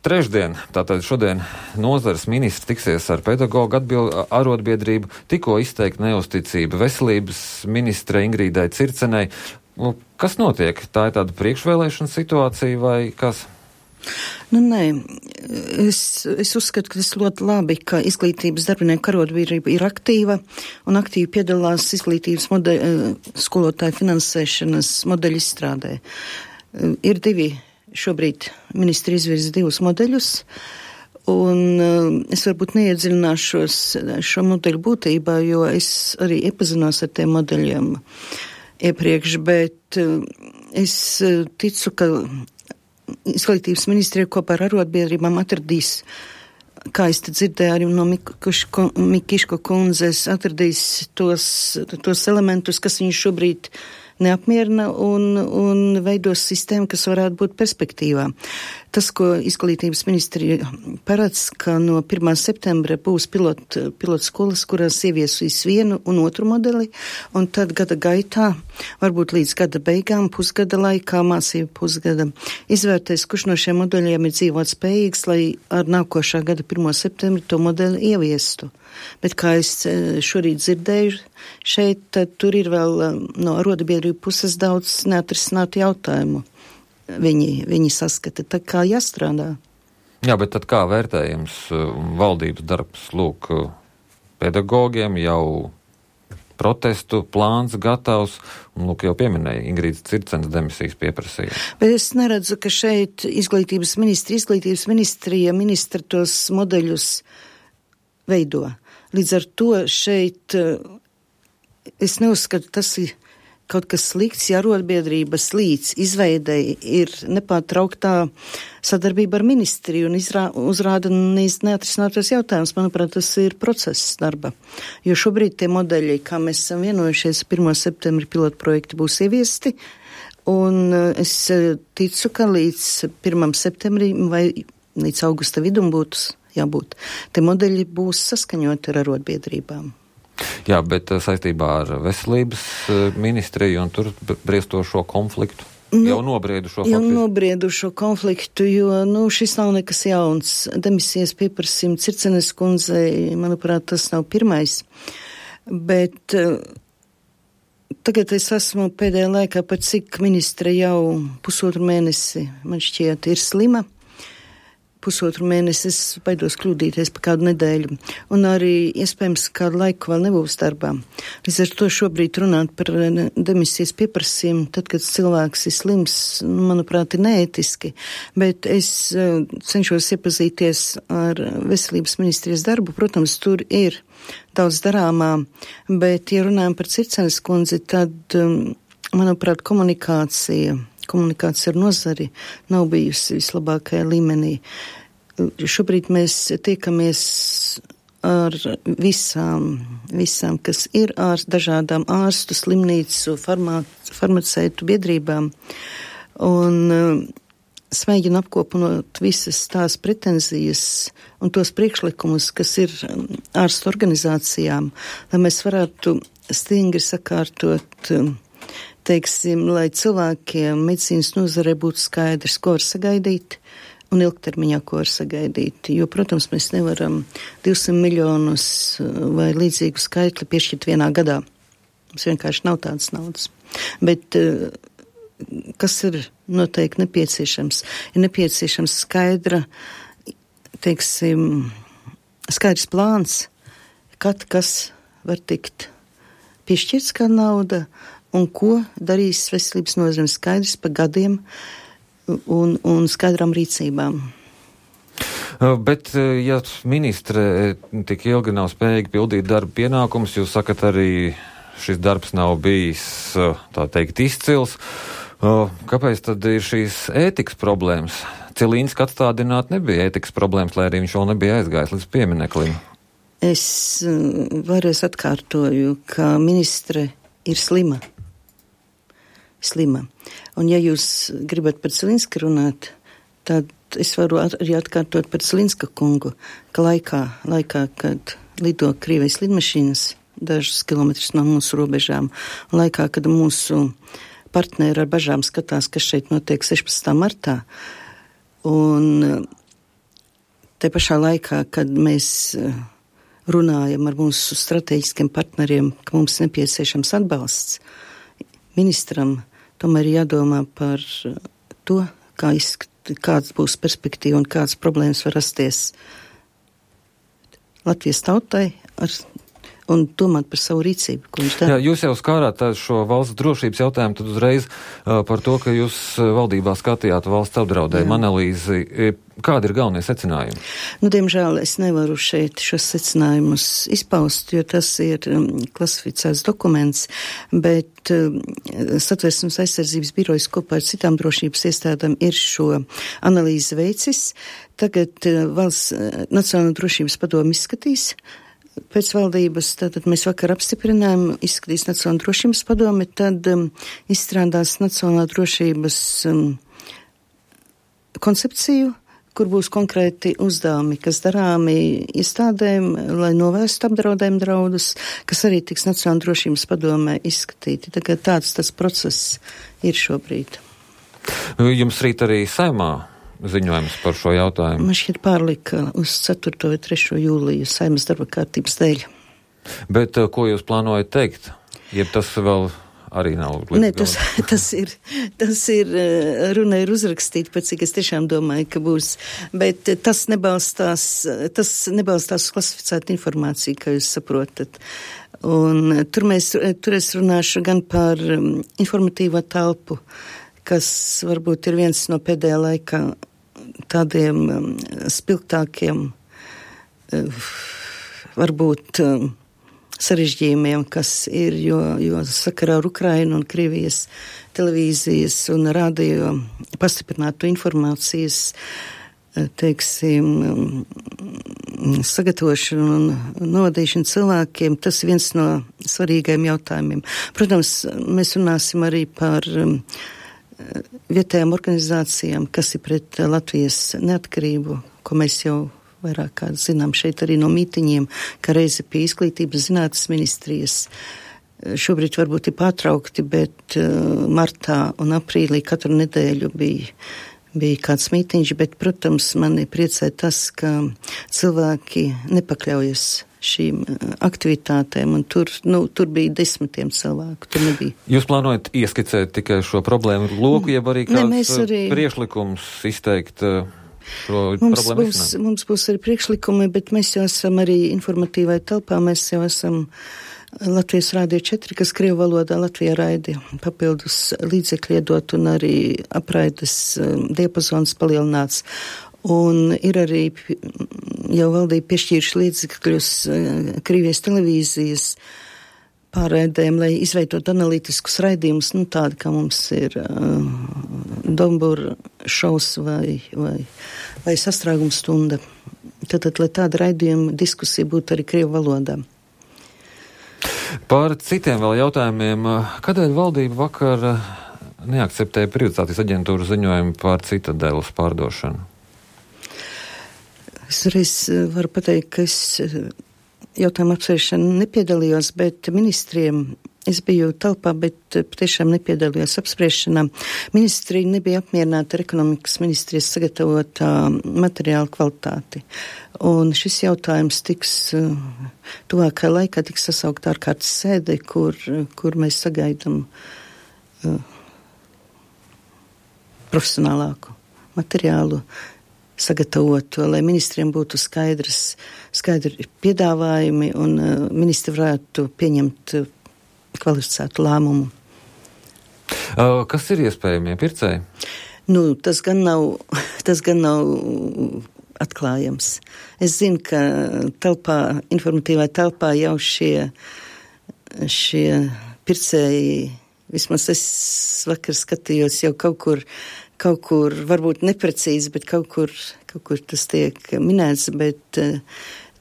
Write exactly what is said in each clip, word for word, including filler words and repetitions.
Trešdien, tātad šodien nozares ministrs tiksies ar pedagoģu atbildu arotbiedrību, tikko izteikta neusticība veselības ministre Ingrīdai Circenei. Kas notiek? Tā ir tāda priekšvēlēšana situācija vai kas? Nu, nē, es, es uzskatu, ka tas ļoti labi, ka izglītības darbinieku arotbiedrība ir aktīva un aktīvi piedalās izglītības modeļu, skolotāju finansēšanas modeļu izstrādē. Ir divi. Šobrīd ministri izvirza divus modeļus, un uh, es varbūt neiedziļināšos šo modeļu būtībā, jo es arī iepazinos ar tiem modeļiem iepriekš, bet uh, es uh, ticu, ka izglītības ministrija kopā ar arotbiedrībām atradīs, kā es te dzirdēju arī no Mikiško kundzes, atradīs tos, tos elementus, kas viņu šobrīd neapmierina un, un veidos sistēmu, kas varētu būt perspektīvā. Tas, ko izglītības ministrija paredz, ka no pirmā septembra būs pilot, pilot skolas, kurās ieviesīs vienu un otru modeli, un tad gada gaitā, varbūt līdz gada beigām, pusgada laikā, mācību pusgada, izvērtēs, kurš no šiem modeļiem ir dzīvot spējīgs, lai ar nākošā gada pirmo septembri to modeli ieviestu. Bet, kā es šorīt dzirdēju, šeit tad tur ir vēl no arotbiedrību puses daudz neatrisinātu jautājumu. Viņi, viņi saskata, tā kā jāstrādā. Jā, bet tad kā vērtējums valdības darbs, lūk, pedagogiem jau protestu plāns gatavs, un lūk, jau pieminēja Ingrīdas Circenes demisijas pieprasījumu. Bet es neredzu, ka šeit izglītības ministri, izglītības ministrija, ministra tos modeļus veido. Līdz ar to šeit es neuzskatu, tas ir kaut kas slikts, ja arotbiedrības līdz izveidei ir nepārtrauktā sadarbība ar ministriju un izrā, uzrāda neatrisinātos jautājumus. Manuprāt, tas ir process darba. Jo šobrīd tie modeļi, kā mēs esam vienojušies, pirmā septembra pilotu projekti būs ieviesti, un es ticu, ka līdz pirmā septembrim vai līdz augusta vidum būtu jābūt. Te modeļi būs saskaņoti ar arotbiedrībām. Jā, bet saistībā ar veselības ministriju un tur briestošo konfliktu, nu, jau nobriedušo konfliktu. Jau nobriedušo konfliktu, jo, nu, šis nav nekas jauns. Demisijas pieprasījuma Circenes kundzei, manuprāt, tas nav pirmais. Bet uh, tagad es esmu pēdējā laikā, pat cik ministre jau pusotru mēnesi, man šķiet, ir slima. Pusotru mēnesi, es baidos kļūdīties pa kādu nedēļu, un arī iespējams kādu laiku vēl nebūs darbā. Līdz ar to šobrīd runāt par demisijas pieprasījumu, tad, kad cilvēks ir slims, manuprāt, ir neētiski, bet es uh, cenšos iepazīties ar veselības ministrijas darbu. Protams, tur ir daudz darāmā, bet, ja runājam par Circenes kundzi, tad, um, manuprāt, komunikācija Komunikācija ar nozari nav bijusi vislabākajā līmenī. Šobrīd mēs tiekamies ar visām, visām kas ir ārst, dažādām ārstu, slimnīcu, farmā, farmaceitu biedrībām, un uh, smēģinu apkopinot visas tās pretenzijas un tos priekšlikumus, kas ir ārstu organizācijām, lai mēs varētu stingri sakārtot uh, teiksim, lai cilvēkiem medicīnas nozarē būtu skaidrs, ko var sagaidīt un ilgtermiņā, ko var sagaidīt. Jo, protams, mēs nevaram divsimt miljonus vai līdzīgu skaitli piešķirt vienā gadā. Mums vienkārši nav tādas naudas. Bet kas ir noteikti nepieciešams? Ir nepieciešams skaidra, teiksim, skaidrs plāns, kad kas var tikt piešķirts kā nauda, un ko darīs veselības nozare, skaidrs pa gadiem un, un skaidrām rīcībām. Bet, ja ministre tik ilgi nav spējīgi pildīt darba pienākumus, jūs sakat arī, šis darbs nav bijis, tā teikt, izcils, kāpēc tad ir šīs ētikas problēmas? Cilīnska atstādināt nebija ētikas problēmas, lai arī viņš vēl nebija aizgājis līdz piemineklim. Es vēlreiz atkārtoju, ka ministre ir slima. slima. Un ja jūs gribat par Cilinska runāt, tad es varu arī atkārtot par Cilinska kungu, ka laikā, laikā kad lido Krievijas lidmašīnas dažus kilometrus no mūsu robežām, un laikā, kad mūsu partneri ar bažām skatās, kas šeit notiek sešpadsmitā martā, un te pašā laikā, kad mēs runājam ar mūsu strateģiskiem partneriem, ka mums nepieciešams atbalsts, ministram tomēr jādomā par to, kā izskat, kāds būs perspektīva un kādas problēmas var rasties Latvijas tautai ar, un domāt par savu rīcību, ko viņš dara. Jā, jūs jau skārāt šo valsts drošības jautājumu, tad uzreiz uh, par to, ka jūs valdībā skatījāt valsts apdraudējumu analīzi. Kādi ir galvenie secinājumi? Nu, diemžēl es nevaru šeit šos secinājumus izpaust, jo tas ir um, klasificēts dokuments, bet um, Satversmes aizsardzības birojas kopā ar citām drošības iestādēm ir šo analīzi veicis. Tagad uh, valsts uh, Nacionālā drošības padome izskatīs pēc valdības, tātad mēs vakar apstiprinājām, izskatīs Nacionālā drošības padome, tad um, izstrādās Nacionālā drošības um, koncepciju, kur būs konkrēti uzdevumi, kas darāmi iestādēm, lai novērstu apdraudējumu draudus, kas arī tiks Nacionālā drošības padomē izskatīti. Tagad tāds tas process ir šobrīd. Jums rīt arī Saimā ziņojums par šo jautājumu? Man šķiet pārlika uz ceturto vai trešo jūliju Saimas darba kārtības dēļ. Bet ko jūs plānojat teikt? Jeb tas vēl arī nav līdz Nē, tas, tas ir, tas ir, runa ir uzrakstīta, pēc cik es tiešām domāju, ka būs, bet tas nebalstās, tas nebalstās uz klasificētu informāciju, kā jūs saprotat. Un tur mēs, tur es runāšu gan par informatīvo telpu, kas varbūt ir viens no pēdējā laikā tādiem spilgtākiem, varbūt sarežģījumiem, kas ir, jo, jo sakarā ar Ukrainu un Krievijas televīzijas un radio pastiprinātu informācijas, teiksim, sagatavošanu un novadīšanu cilvēkiem, tas ir viens no svarīgajiem jautājumiem. Protams, mēs runāsim arī par vietējām organizācijām, kas ir pret Latvijas neatkarību, ko mēs jau vairāk kā zinām šeit arī no mītiņiem, ka reizi pie izglītības zinātnes ministrijas šobrīd varbūt ir pārtraukti, bet uh, martā un aprīlī katru nedēļu bija, bija kāds mītiņš, bet, protams, mani priecē tas, ka cilvēki nepakļaujas šīm aktivitātēm, un tur, nu, tur bija desmitiem cilvēku, tur nebija. Jūs plānojat ieskicēt tikai šo problēmu loku, jeb arī kāds ne, arī... priekšlikums izteikt uh, Mums būs, mums būs arī priekšlikumi, bet mēs jau esam arī informatīvai telpā, mēs jau esam Latvijas Rādio četri, kas krievu valodā Latvijā raidi papildus līdzekļi iedot un arī apraides diapazons palielināts. Un ir arī jau valdība piešķīruši līdzekļus Krievijas televīzijas pārraidēm, lai izveidot analītiskus raidījumus, nu tādi, kā mums ir uh, Dombura šaus vai, vai, vai sastrāguma stunda. Tātad, lai tāda raidījuma diskusija būtu arī krievu valodā. Par citiem vēl jautājumiem. Kādēļ valdība vakar neakceptēja privatizācijas aģentūru ziņojumu par Citadeles pārdošanu? Es reiz varu pateikt, ka es jautājumu apsvēršanu nepiedalījos, bet ministriem es biju telpā, bet patiešām nepiedalījos apspriešanā. Ministri nebija apmierināti ar ekonomikas ministrijas sagatavotā materiāla kvalitāti. Un šis jautājums tiks tuvākajā laikā tiks sasaukt ārkārtas sēde, kur, kur mēs sagaidām uh, profesionālāku materiālu sagatavotu, lai ministriem būtu skaidrs, skaidri piedāvājumi un uh, ministri varētu pieņemt uh, kvalificētu lēmumu. Uh, kas ir iespējamie pircēji? Nu, tas gan nav, tas gan nav atklājams. Es zinu, ka telpā, informatīvā telpā jau šie, šie pircēji, vismaz es vakar skatījos jau kaut kur, kaut kur, varbūt neprecīzi, bet kaut kur, kaut kur tas tiek minēts, bet uh,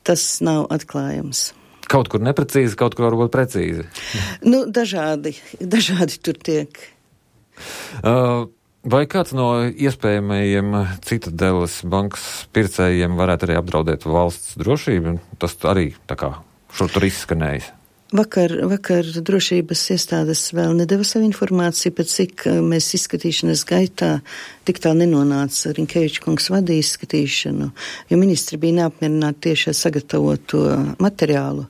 tas nav atklājams. Kaut kur neprecīzi, kaut kur varbūt precīzi. Nu, dažādi, dažādi tur tiek. Uh, vai kāds no iespējamajiem Citadeles bankas pircējiem varētu arī apdraudēt valsts drošību? Tas arī tā kā šur tur izskanējis. Vakar, vakar drošības iestādes vēl nedeva savu informāciju, pēc cik mēs izskatīšanas gaitā tik tā nenonāca. Rinkeviča kungs vadīja izskatīšanu, jo ministri bija neapmierināti tieši ar sagatavoto materiālu,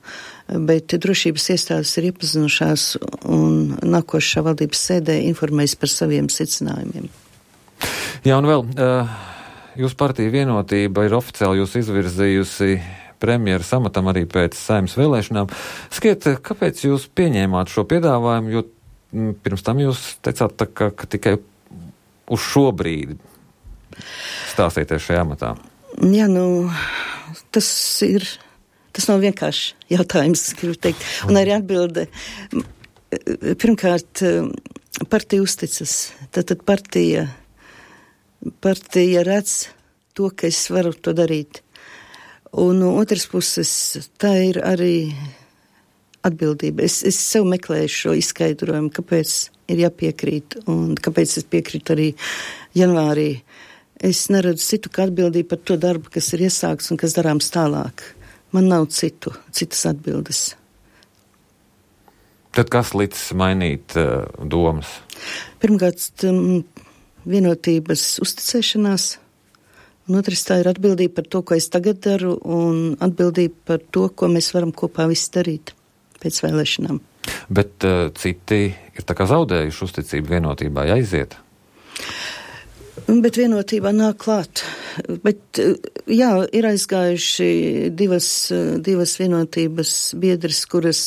bet drošības iestādes ir iepazinušās un nākošā valdības sēdē informējas par saviem secinājumiem. Jā, un vēl, jūsu partija Vienotība ir oficiāli jūs izvirzījusi premjeras amatam arī pēc Saeimas vēlēšanām. Skiet, kāpēc jūs pieņēmāt šo piedāvājumu, jo pirms tam jūs teicāt, tā, ka, ka tikai uz šo brīdi stāsieties šajā amatā? Jā, nu, tas ir, tas nav vienkārši jautājums, gribu teikt. Un arī atbilde, pirmkārt, partija uzticas. Tātad partija, partija redz to, ka es varu to darīt. Un no otras puses, tā ir arī atbildība. Es, es sev meklēju šo izskaidrojumu, kāpēc ir jāpiekrīt un kāpēc es piekrītu arī janvārī. Es neredzu citu kā atbildību par to darbu, kas ir iesākts un kas darāms tālāk. Man nav citu, citas atbildes. Tad kas licis mainīt uh, domas? Pirmkārt, um, vienotības uzticēšanās. Un otrs, tā ir atbildība par to, ko es tagad daru, un atbildība par to, ko mēs varam kopā visi darīt pēc vēlēšanām. Bet uh, citi ir tā kā zaudējuši uzticību vienotībā, jāiziet? Bet vienotībā nāk klāt. Bet, jā, ir aizgājuši divas, divas vienotības biedras, kuras,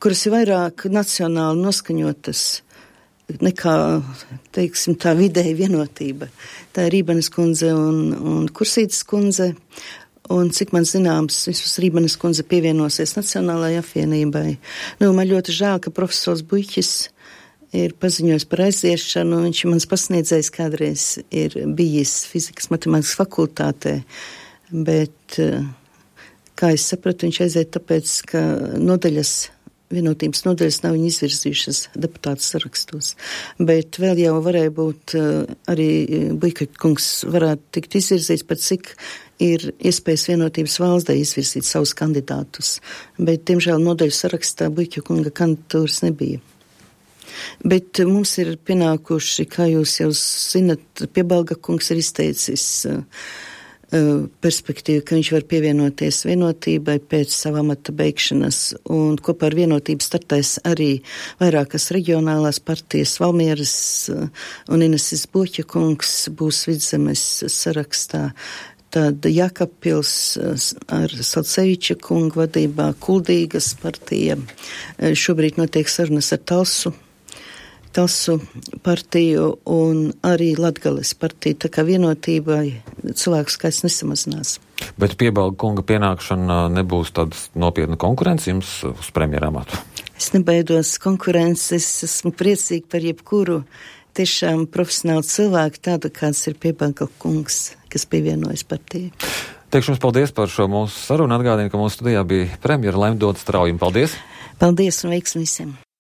kuras ir vairāk nacionāli noskaņotas nekā, teiksim, tā vidēja vienotība. Tā ir Rībenes kundze un, un Kursītes kundze, un cik man zināms, vismaz Rībenes kundze pievienosies Nacionālajai apvienībai. Nu, man ļoti žēl, ka profesors Buļķis ir paziņojis par aiziešanu, viņš mans pasniedzējs kādreiz ir bijis fizikas matemātikas fakultātē, bet, kā es sapratu, viņš aiziet tāpēc, ka nodaļas vienotības nodaļas nav viņu izvirzījušas deputātu sarakstos. Bet vēl jau varēja būt arī Buļķa kungs varētu tikt izvirzīts, pat cik ir iespējas vienotības valstī izvirzīt savus kandidātus. Bet, diemžēl, nodaļu sarakstā Buļķa kunga kandidatūras nebija. Bet mums ir pienākuši, kā jūs jau zinat, Piebalga kungs ir izteicis perspektīvu, ka viņš var pievienoties vienotībai pēc sava amata beigšanas, un kopā ar vienotību startēs arī vairākas reģionālās partijas, Valmieras un Ineses Buļķa kungs būs Vidzemes sarakstā. Tad Jākapils ar Salceviča kungu vadībā, Kuldīgas partija, šobrīd notiek sarunas ar Talsu, Talsu partiju un arī Latgales partiju, tā kā vienotībai cilvēku skaits nesamazinās. Bet Piebalga kunga pienākšana nebūs tādas nopietna konkurence jums uz premjera amatu? Es nebaidos konkurences, esmu priecīgi par jebkuru tiešām profesionālu cilvēku, tādu kāds ir Piebalga kungs, kas pievienojas partijai. Teikšu jums paldies par šo mūsu sarunu. Atgādinu, ka mūsu studijā bija premjera Laima Doda Straujuma. Paldies! Paldies un veiksmi visiem!